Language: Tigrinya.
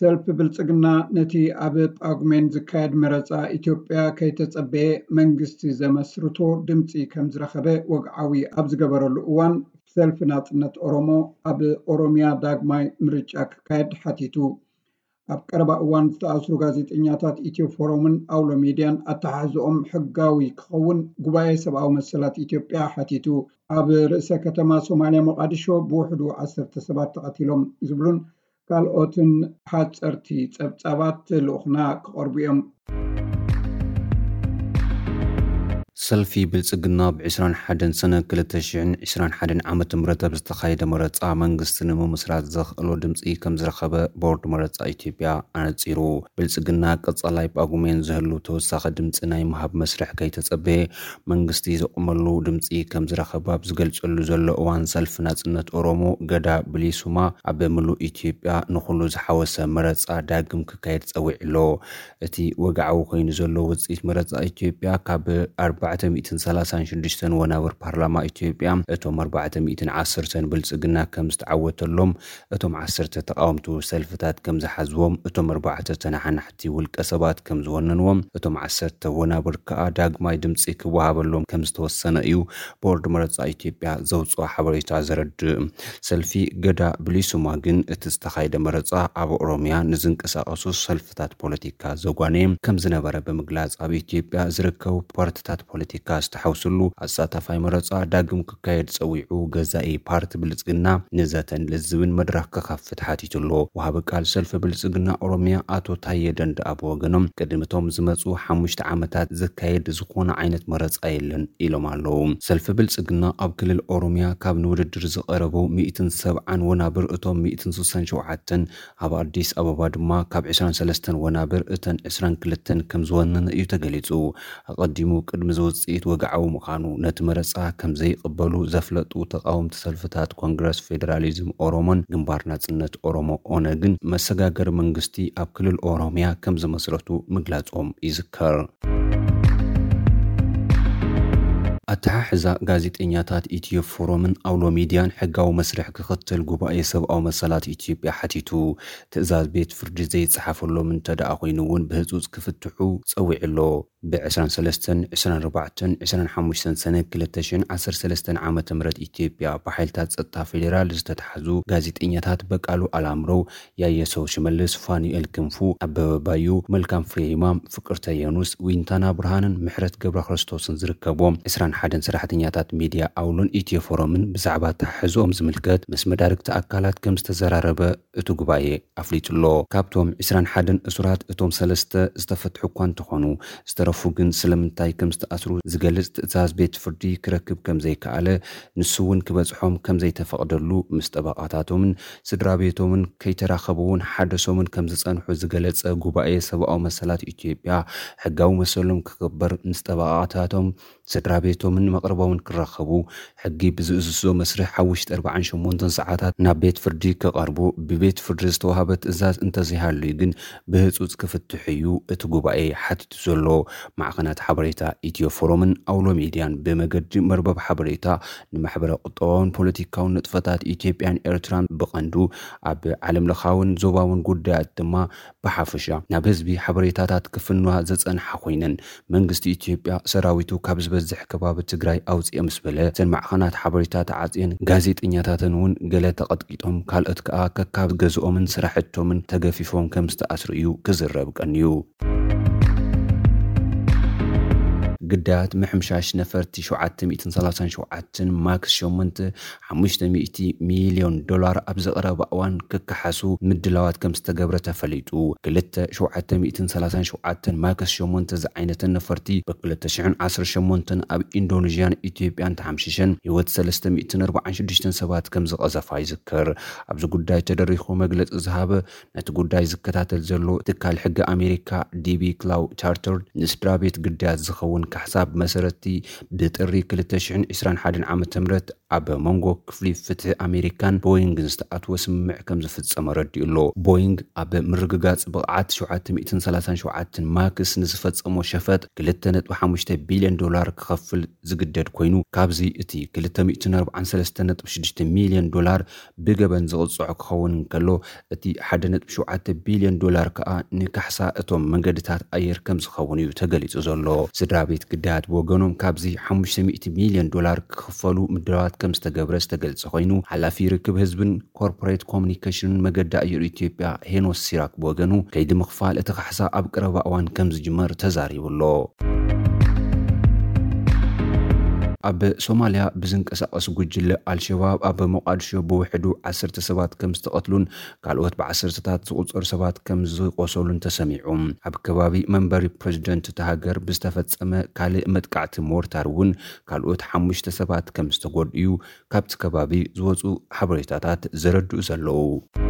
ሰልፊ ብልጽግና ነቲ ኣብ ጳጉሜን ዝካየድ መረጻ ኢትዮጵያ ከይተጸበየ መንግስቲ ዘመስርቶ ድምጺ ከም ዝረኸበ ወግዓዊ ኣብ ዝገበረሉ እዋን፣ ሰልፊ ናጽነት ኦሮሞ ኣብ ኦሮሚያ ዳግማይ ምርጫ ክካየድ ሓቲቱ። ኣብ ቀረባ እዋን ዝተኣስሩ ጋዜጠኛታት ኢትዮ ፎረምን ኣውሎ ሚድያን ኣተሓሕዝኦም ሕጋዊ ክኸውን ጉባኤ ሰብኣዊ መሰላት ኢትዮጵያ ሓቲቱ። ኣብ ርእሰ ከተማ ሶማልያ ሞቃዲሾ ብውሕዱ ዓሰርተ ሰባት ተቐቲሎም ዝብሉን ካልኦትን ሓጸርቲ ጸብጻባት ልኡኽና ክቐርቡ እዮም። ሰልፊ ብልጽግና ብ ዕስራን ሓደን ሰነ ክልተ ሽሕን ዕስራን ሓደን ዓመተ ምህረት ኣብ ዝተኻየደ መረጻ መንግስቲ ንምምስራት ዘኽእሎ ድምጺ ከም ዝረኸበ ቦርድ መረጻ ኢትዮጵያ ኣነጺሩ። ብልጽግና ቀጻላይ ጳጉሜን ዝህሉ ተወሳኺ ድምጺ ናይ ምሃብ መስርሕ ከይተጸበየ መንግስቲ ዘቑመሉ ድምጺ ከም ዝረኸበ ኣብ ዝገልጸሉ ዘሎ እዋን፣ ሰልፊ ናጽነት ኦሮሞ ገዳ ብሊሱማ ኣብ ምሉእ ኢትዮጵያ ንኹሉ ዝሓወሰ መረጻ ዳግም ክካየድ ጸዊዑ ኣሎ። እቲ ወግዓዊ ኮይኑ ዘሎ ውጽኢት መረጻ ኢትዮጵያ ካብ ኣርባዕተ ሚእትን ሰላሳን ሽዱሽተን ወናብር ፓርላማ ኢትዮጵያ እቶም ኣርባዕተ ሚእትን ዓሰርተን ብልጽግና ከም ዝተዓወተሎም፣ እቶም ዓሰርተ ተቓወምቲ ሰልፍታት ከም ዝሓዝዎም፣ እቶም ኣርባዕተ ተነሓናሕቲ ውልቀ ሰባት ከም ዝወነንዎም፣ እቶም ዓሰርተ ወናብር ከኣ ዳግማይ ድምጺ ክወሃበሎም ከም ዝተወሰነ እዩ ቦርድ መረጻ ኢትዮጵያ ዘውጽኦ ሓበሬታ ዘረድእ። ሰልፊ ገዳ ብሊሱማ ግን እቲ ዝተኻየደ መረጻ ኣብ ኦሮሚያ ንዝንቀሳቐሱ ሰልፍታት ፖለቲካ ዘጓነየ ከም ዝነበረ ብምግላጽ፣ ኣብ ኢትዮጵያ ዝርከቡ ፓርትታት ፖለቲካ ዝተሓውስሉ ኣሳታፋይ መረጻ ዳግም ክካየድ ጸዊዑ ገዛኢ ፓርቲ ብልጽግና ንዘተን ልዝብን መድረኽ ክኸፍት ሓቲቱ ኣሎ። ወሃቢ ቃል ሰልፊ ብልጽግና ኦሮሚያ ኣቶ ታየ ደንደኣ ብወገኖም፣ ቅድሚ እቶም ዝመጹ ሓሙሽተ ዓመታት ዝካየድ ዝኾነ ዓይነት መረጻ የለን ኢሎም ኣለዉ። ሰልፊ ብልጽግና ኣብ ክልል ኦሮሚያ ካብ ንውድድር ዝቐረቡ ሚእትን ሰብዓን ወናብር እቶም ሚእትን ስሳን ሸውዓተን፣ ኣብ ኣዲስ ኣበባ ድማ ካብ ዕስራን ሰለስተን ወናብር እተን ዕስራን ክልተን ከም ዝወነነ እዩ ተገሊጹ። ኣቐዲሙ ቅድሚ ዝውጽኢት ወግዓዊ ምዃኑ ነቲ መረጻ ከም ዘይቕበሉ ዘፍለጡ ተቓወምቲ ሰልፍታት ኮንግረስ ፌደራሊዝም ኦሮሞን ግንባር ናጽነት ኦሮሞ ኦነግን መሰጋገሪ መንግስቲ ኣብ ክልል ኦሮሚያ ከም ዝመስረቱ ምግላጾም ይዝከር። ኣተሓሕዛ ጋዜጠኛታት ኢትዮ ፎረምን ኣውሎ ሚድያን ሕጋዊ መስርሕ ክኽተል ጉባኤ ሰብኣዊ መሰላት ኢትዮጵያ ሓቲቱ። ትእዛዝ ቤት ፍርዲ ዘይጸሓፈሎም እንተ ደኣ ኮይኑ እውን ብህጹጽ ክፍትሑ ጸዊዑ ኣሎ። ብ ዕስራን ሰለስተን፣ ዕስራን ኣርባዕተን፣ ዕስራን ሓሙሽተን ሰነ ክልተ ሽሕን ዓሰርተ ሰለስተን ዓመተ ምህረት ኢትዮጵያ ብሓይልታት ጸጥታ ፌዴራል ዝተታሕዙ ጋዜጠኛታት በቃሉ ኣላምረው፣ ያየሰው ሽመልስ፣ ፋኑኤል ክንፉ፣ ኣበበ ባዩ፣ መልካም ፍሬ ይማም፣ ፍቅርተ የኑስ፣ ዊንታና ብርሃንን ምሕረት ገብረ ክርስቶስን ዝርከቦም ዕስራን ሓደን ሰራሕተኛታት ሚድያ ኣውሎን ኢትዮ ፎረምን ብዛዕባ ኣተሓሕዝኦም ዝምልከት ምስ መዳርግቲ ኣካላት ከም ዝተዘራረበ እቲ ጉባኤ ኣፍሊጡ ኣሎ። ካብቶም ዕስራን ሓደን እሱራት እቶም ሰለስተ ዝተፈትሑ እኳ እንተኾኑ፣ ዝተረፉ ግን ስለምንታይ ከም ዝተኣስሩ ዝገልጽ ትእዛዝ ቤት ፍርዲ ክረክብ ከም ዘይከኣለ፣ ንሱ እውን ክበጽሖም ከም ዘይተፈቕደሉ ምስ ጠበቓታቶምን ስድራ ቤቶምን ከይተራኸቡ እውን ሓደሶምን ከም ዝጸንሑ ዝገለጸ ጉባኤ ሰብኣዊ መሰላት ኢትዮጵያ፣ ሕጋዊ መሰሎም ክኽበር ምስ ጠበቓታቶም ስድራ ቤቶምን መቕርቦምን ክራኸቡ፣ ሕጊ ብዝእዝዞ መስርሕ ኣብ ውሽጢ ኣርባዓን ሸሞንተን ሰዓታት ናብ ቤት ፍርዲ ክቐርቡ፣ ብቤት ፍርዲ ዝተዋህበ ትእዛዝ እንተዘይሃልዩ ግን ብህጹጽ ክፍትሑ እዩ እቲ ጉባኤ ሓቲቱ ዘሎ። ማዕኸናት ሓበሬታ ኢትዮ ፎረምን ኣውሎ ሚድያን ብመገዲ መርበብ ሓበሬታ ንማሕበረ ቁጠባውን ፖለቲካውን ንጥፈታት ኢትዮጵያን ኤርትራን ብቐንዱ፣ ኣብ ዓለም ለኻውን ዞባውን ጉዳያት ድማ ብሓፈሻ ናብ ህዝቢ ሓበሬታታት ክፍንዋ ዝጸንሓ ኮይነን፣ መንግስቲ ኢትዮጵያ ሰራዊቱ ካብ ዝበዝሕ ከባቢ ትግራይ ኣውጽኤ ምስ በለ፣ እተን ማዕኸናት ሓበሬታ ተዓጽየን፣ ጋዜጠኛታተን እውን ገለ ተቐጥቂጦም፣ ካልኦት ከኣ ከካብ ገዝኦምን ስራሕቶምን ተገፊፎም ከም ዝተኣስሩ እዩ ክዝረብ ቀንዩ። ግዳያት ምሕምሻሽ ነፈርቲ ሸውዓተ ሚእትን ሰላሳን ሸውዓተን ማክስ ሸሞንተ ሓሙሽተ ሚእቲ ሚልዮን ዶላር ኣብ ዝቐረበ እዋን ክከሓሱ ምድላዋት ከም ዝተገብረ ተፈሊጡ። ክልተ ሸውዓተ ሚእትን ሰላሳን ሸውዓተን ማክስ ሸሞንተ ዝዓይነተን ነፈርቲ ብ ክልተ ሽሕን ዓሰርተ ሸሞንተን ኣብ ኢንዶኔዥያን ኢትዮጵያን ተሓምሺሸን ህይወት ሰለስተ ሚእትን ኣርባዓን ሽዱሽተን ሰባት ከም ዝቐዘፋ ይዝከር። ኣብዚ ጉዳይ ተደሪኹ መግለጺ ዝሃበ ነቲ ጉዳይ ዝከታተል ዘሎ ትካል ሕጊ ኣሜሪካ ዲቢ ክላው ቻርተርድ ንስድራ ቤት ግዳያት ዝኸውን ካሕሳ ብመሰረቲ ብጥሪ ክልተ ሽሕን ዕስራን ሓደን ዓመተ ምህረት ኣብ መንጎ ክፍሊ ፍትሒ ኣሜሪካን ቦይንግን ዝተኣትወ ስምምዕ ከም ዝፍጸመ ረዲኡ ኣሎ። ቦይንግ ኣብ ምርግጋጽ ብቕዓት ሸውዓተ ሚእትን ሰላሳን ሸውዓተን ማክስ ንዝፈጸሞ ሸፈጥ ክልተ ነጥቢ ሓሙሽተ ቢልዮን ዶላር ክኸፍል ዝግደድ ኮይኑ፣ ካብዚ እቲ ክልተ ሚእትን ኣርባዓን ሰለስተን ነጥቢ ሽዱሽተ ሚልዮን ዶላር ብገበን ዝቕጽዖ ክኸውን እንከሎ፣ እቲ ሓደ ነጥቢ ሸውዓተ ቢልዮን ዶላር ከኣ ንካሕሳ እቶም መንገድታት ኣየር ከም ዝኸውን እዩ ተገሊጹ ዘሎ። ስድራ ቤት ግዳያት ብወገኖም ካብዚ ሓሙሽተ ሚእቲ ሚልዮን ዶላር ክኽፈሉ ምድላዋት ከም ዝተገብረ ዝተገልጸ ኮይኑ፣ ሓላፊ ርክብ ህዝብን ኮርፖሬት ኮሙኒኬሽንን መገዲ ኣየር ኢትዮጵያ ሄኖስ ሲራክ ብወገኑ፣ ከይዲ ምኽፋል እቲ ካሕሳ ኣብ ቀረባ እዋን ከም ዝጅመር ተዛሪቡ ኣሎ። ኣብ ሶማልያ ብዝንቀሳቐስ ጉጅለ ኣልሸባብ ኣብ ሞቃዲሾ ብውሕዱ ዓሰርተ ሰባት ከም ዝተቐትሉን ካልኦት ብዓሰርተታት ዝቑጸሩ ሰባት ከም ዝቆሰሉን ተሰሚዑ። ኣብ ከባቢ መንበሪ ፕሬዚደንት እታ ሃገር ብዝተፈጸመ ካልእ መጥቃዕቲ ሞርታር እውን ካልኦት ሓሙሽተ ሰባት ከም ዝተጎድኡ ካብቲ ከባቢ ዝወጹ ሓበሬታታት ዘረድኡ ዘለዉ።